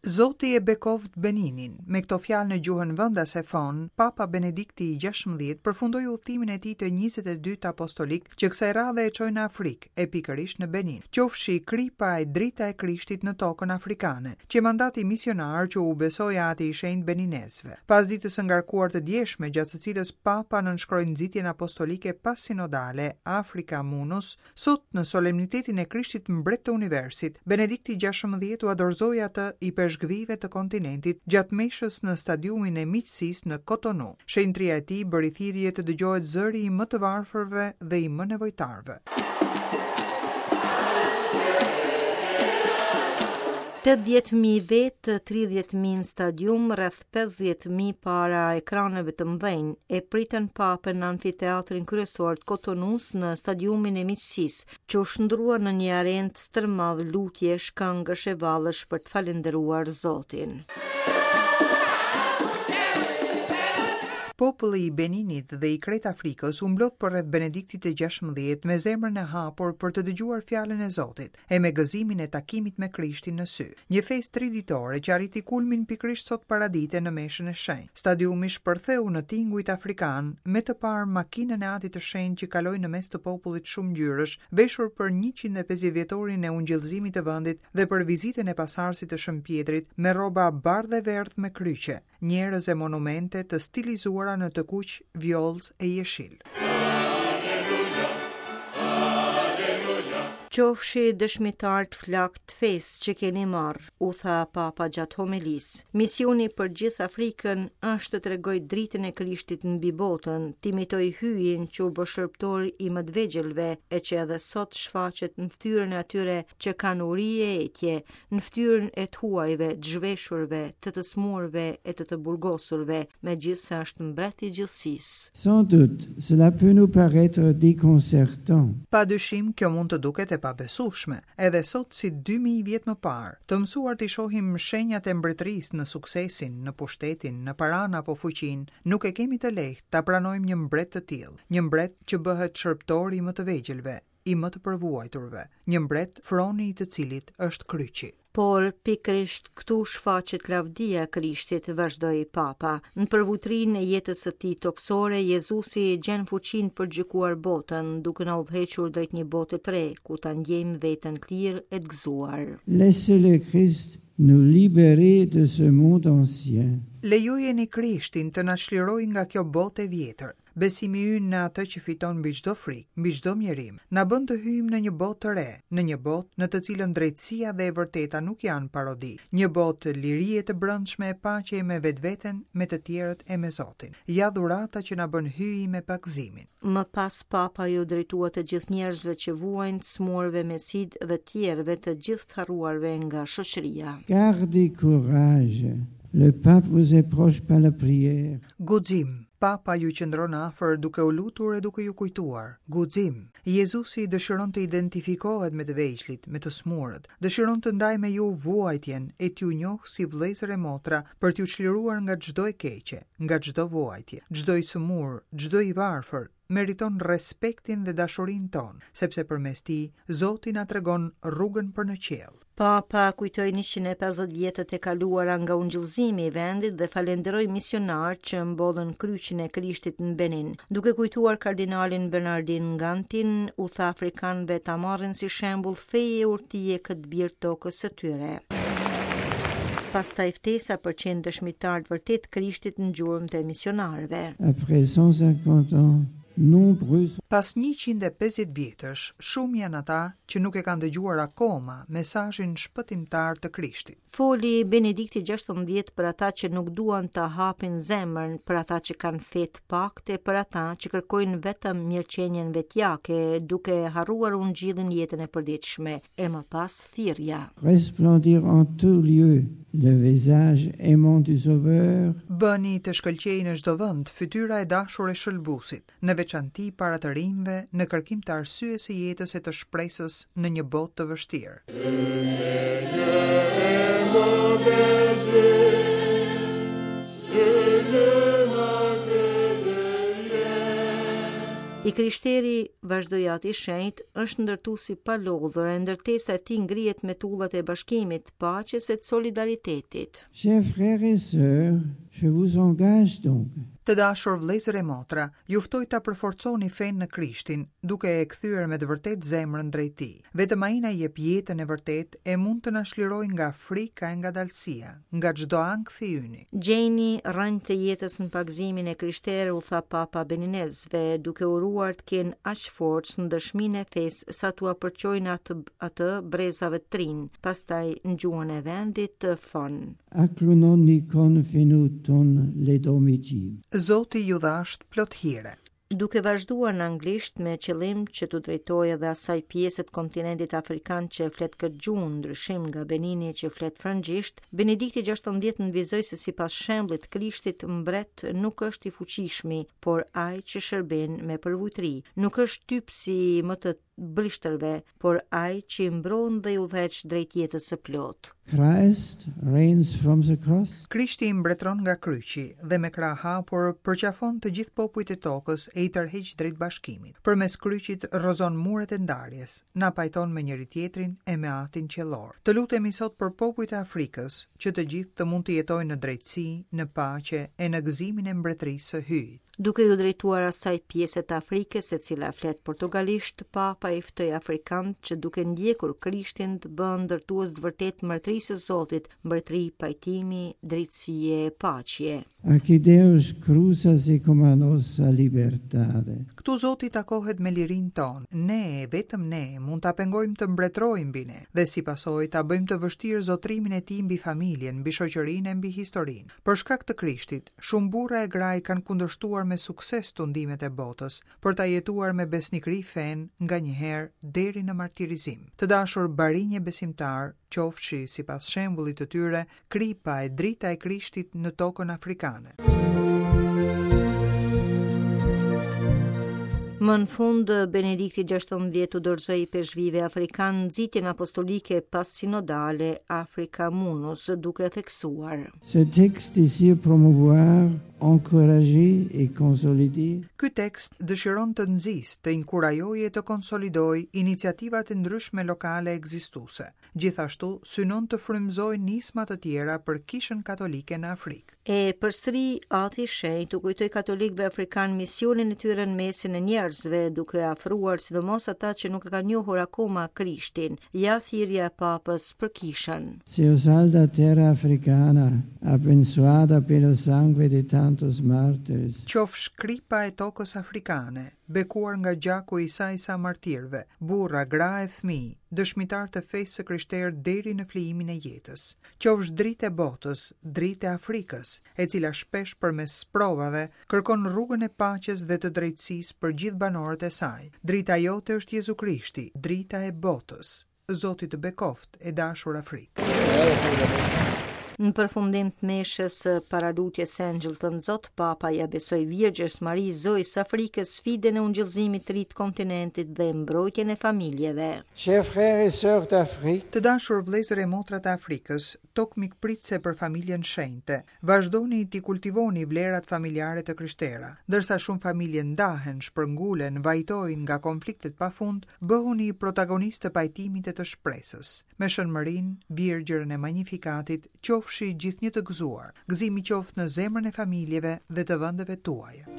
Zoti e bekoftë Beninin. Me këto fjalë në gjuhën vendase Fon, Papa Benedikti i 16 përfundoi udhëtimin e tij të 22 apostolik që kësaj radhe e çoi në Afrikë, e pikërisht në Benin. Qofshi kripa e drita e Krishtit në tokën afrikane, qe mandati misionar që u besoi Ati i Shenjtë beninezëve. Pas ditës së ngarkuar të djeshme, gjatë së cilës Papa nënshkroi nxitjen apostolike passinodale Africa Munus, Sot, në solemnitetin e Krishtit Mbret të Universit, Benedikti 16 ua dorëzoi atë ipeshkvijve të kontinentit gjatë meshës në stadiumin e Miqësisë në Kotonu. Shenjtëria e tij bëri thirrje të dëgjohet zëri i më të varfërve dhe i më nevojtarëve. 80.000 vetë, 30.000 në stadium, rreth 50.000 para ekraneve të mëdhenj, e pritën papën në amfiteatrin kryesor të Kotonus në stadiumin e miqësisë, që u shndërrua në një arenë të stërmadhe lutjesh, këngësh e vallesh për të falënderuar Zotin. Populli i Beninit dhe i krejt Afrikës u mblodh përreth Benediktit të 16 me zemrën e hapur për të dëgjuar fjalën e Zotit e me gëzimin e takimit me Krishtin në sy. Një festë triditore që arriti kulmin pikërisht sot paradite në meshën e shenjtë. Stadiumi shpërtheu në tingujt afrikanë, me të parë makinën e Atit të Shenjtë që kaloi në mes të popullit shumëngjyrësh, veshur për 150 vjetorin e ungjillëzimit të vendit dhe për vizitën e pasardhësit të Shën Pjetrit me rroba bardhë e verdhë me kryqe, njerëz e monumente të stilizuara në të kuq, vjollcë e jeshil. Qofshi dëshmitarë të flaktë të fesë që keni marrë, u tha Papa gjatë homelisë. Misioni për gjithë Afrikën është të tregojë dritën e Krishtit mbi botën, të imitojë hyjin që u bë shërbëtor i më të vegjëlve e që edhe sot shfaqet në fytyrën e atyre që kanë uri e etje, në fytyrën e të huajve, të zhveshurve, të të sëmurëve e të të burgosurve, megjithëse është mbret i gjithësisë. Sans doute, cela peut nous paraître déconcertant. Pa dyshim, kjo mund të duket e pabesueshme, edhe sot si 2000 vjet më parë, të mësuar t'i shohim shenjat e mbretërisë në suksesin, në pushtetin, në paranë apo fuqinë, nuk e kemi të lehtë ta pranojmë një mbret të tillë, një mbret që bëhet shërbëtor i më të vegjëlve, i më të përvuajturve, një mbret froni i të cilit është kryqi. Por, pikërisht këtu shfaqet lavdia e Krishtit, vazhdoi Papa. Në përvujtërinë e jetës së tij tokësore, Jezusi gjen fuqinë për të gjykuar botën, duke na udhëhequr drejt një bote të re, ku ta ndjejmë veten të lirë e të gëzuar. Laissez le Christ nous libérer de ce monde ancien. Lejojeni Krishtin të na çlirojë nga kjo botë e vjetër. Besimi ynë në atë që fiton mbi çdo frikë, mbi çdo mjerim, na bën të hyjmë në një botë të re, në një botë në të cilën drejtësia dhe e vërteta nuk janë parodi, një botë lirie të brendshme e paqeje me vetveten, me të tjerët e me Zotin. Ja dhurata që na bën Hyji me pagëzimin. Më pas Papa iu drejtua të gjithë njerëzve që vuajnë, të sëmurëve me sidë dhe tjerëve të gjithë të harruarve nga shoqëria. Gardez courage, le Pape vous est proche par la prière. Guxim, Papa ju qëndron afër duke u lutur e duke ju kujtuar. Guxim! Jezusi dëshiron të identifikohet me të vegjlit, me të sëmurët, dëshiron të ndajë me ju vuajtjen e t'ju njohë si vëllezër e motra për t'ju çliruar nga çdo e keqe, nga çdo vuajtje. Çdo i sëmurë, çdo i varfër, meriton respektin dhe dashurinë tonë, sepse përmes tij, Zoti na tregon rrugën për në qiell. Papa kujtoi 150 vjetët e kaluara nga ungjillëzimi i vendit dhe falënderoi misionarët që mbollën kryqin e Krishtit në Benin. Duke kujtuar kardinalin Bernardin Gantin, u tha afrikanëve ta marrin si shembull feje e urtie këtë bir të tokës së tyre. Pastaj ftesa për të qenë dëshmitarë të vërtetë të Krishtit në gjurmët e misionarëve. Après 150 ans, nombreux Pas 150 vjetësh, shumë janë ata që nuk e kanë dëgjuar akoma mesazhin shpëtimtar të Krishtit. Foli Benedikti 16 për ata që nuk duan ta hapin zemrën, për ata që kanë fe të paktë e për ata që kërkojnë vetëm mirëqenien vetjake, duke harruar ungjillin në jetën e përditshme, e më pas thirrja. Resplendir en tout lieu le visage aimant du Sauveur. Bëni të shkëlqejë në çdo vend fytyra e dashur e Shëlbuesit, në veçanti para të rinjve në kërkim të arsyes së jetës e të shpresës në një botë të vështirë. I krishteri, vazhdoi Ati i Shenjtë, është ndërtues i palodhur e ndërtesa e tij ngrihet me tullat e bashkimit, paqes e të solidaritetit. Chers frères et sœurs, je vous engage donc. Të dashur vëllezër e motra, ju ftoj ta përforconi fenë në Krishtin, duke e kthyer me të vërtetë zemrën drejt Tij. Vetëm Ai na jep jetën e vërtetë e mund të na çlirojë nga frika e ngadalësia, nga çdo ankth i yni. Gjeni rrënjët e jetës në pagëzimin e krishterë, u tha Papa beninezëve, duke uruar të kenë aq forcë në dëshminë e fesë sa t'ua përçojnë atë atë brezave të rinj, pastaj në gjuhën e vendit, fon. Aklunon nikon fenu ton ledomiji. Zoti ju dhashtë plot hire. Duke vazhduar në anglisht me qëllim që t'u drejtohej edhe asaj pjese të kontinentit afrikan që flet këtë gjuhë, në ndryshim nga Benini që flet frëngjisht, Benedikti XVI nënvizoi se sipas shembullit të Krishtit, mbret nuk është i fuqishmi, por ai që shërben me përvujtëri. Nuk është shtypësi i më të brishtërve, por ai që i mbron dhe i udhëheq drejt jetës së plotë. Christ reigns from the cross. Krishti mbretëron nga kryqi dhe me krahë hapur përqafon të gjithë popujt e tokës e i tërheq drejt bashkimit. Përmes kryqit rrëzon muret e ndarjes, na pajton me njëri-tjetrin e me Atin Qiellor. Të lutemi sot për popujt e Afrikës, që të gjithë të mund të jetojnë në drejtësi, në paqe e në gëzimin e Mbretërisë së Hyjit. Duke iu drejtuar asaj pjese të Afrikës e cila flet portugalisht, Papa i ftoi afrikanët që duke ndjekur Krishtin të bëhen ndërtues të vërtetë të mbretërisë së Zotit, mbretëri pajtimi, drejtësie e paqeje. Aqui Deus cruza-se com a nossa liberdade. Këtu Zoti takohet me lirinë tonë. Ne, e vetëm ne, mund ta pengojmë të mbretërojë mbi ne, dhe si pasojë ta bëjmë të vështirë zotërimin e tij mbi familjen, mbi shoqërinë e mbi historinë. Për shkak të Krishtit, Shumë burra e gra i kanë kundërshtuar me sukses tundimet e botës, për ta jetuar me besnikëri fenë nganjëherë deri në martirizim. Të dashur barinj e besimtarë, qofshi, sipas shembullit të tyre, kripa e drita e Krishtit në tokën afrikane. Më në fund, Benedikti XVI u dorëzoi ipeshkvijve afrikanë nxitjen apostolike passinodale Africa Munus, duke theksuar. Ce texte désire promouvoir, encourager et consolider. Ky tekst dëshiron të nxisë, të inkurajojë e të konsolidojë iniciativat e ndryshme lokale ekzistuese. Gjithashtu, synon të frymëzojë nisma të tjera për Kishën Katolike në Afrikë. E përsëri, Ati i Shenjtë u kujtoi katolikëve afrikanë misionin e tyre në mesin e njerëzve, duke afruar sidomos ata që nuk e kanë njohur akoma Krishtin. Ja thirrja e Papës për Kishën. Seja sal da terra africana, abençoada pelo sangue de tantos mártires. Qofsh kripa e tokës afrikane, bekuar nga gjaku i sa e sa martirëve, burra, gra e fëmijë, dëshmitarë të fesë së krishterë deri në flijimin e jetës. Qofsh dritë e botës, dritë e Afrikës, e cila shpesh përmes sprovave kërkon rrugën e paqes dhe të drejtësisë për gjithë banorët e saj. Drita jote është Jezu Krishti, drita e botës. Zoti të bekoftë, e dashur Afrikë. Në përfundim të meshës së paralutjes së Engjëll të Nxotë, Papa ia besoi Virgjërës Mari Zojës së Afrikës sfidën e ungjillëzimit të ri të kontinentit dhe mbrojtjen e familjeve. Chers frères et sœurs d'Afrique. Të dashur vëllezër e motra të Afrikës, tokë mikpritëse për familjen shenjte, Vazhdoni t'i kultivoni vlerat familjare të krishtera. Ndërsa shumë familje ndahen, shpërngulen, vajtojnë nga konfliktet pa fund, bëhuni protagonistë të pajtimit e të shpresës. Me Shën Mërinë, Virgjërën e Magnificatit, qofshi gjithnjë të gëzuar. Gëzimi qoftë në zemrën e familjeve dhe të vendeve tuaja.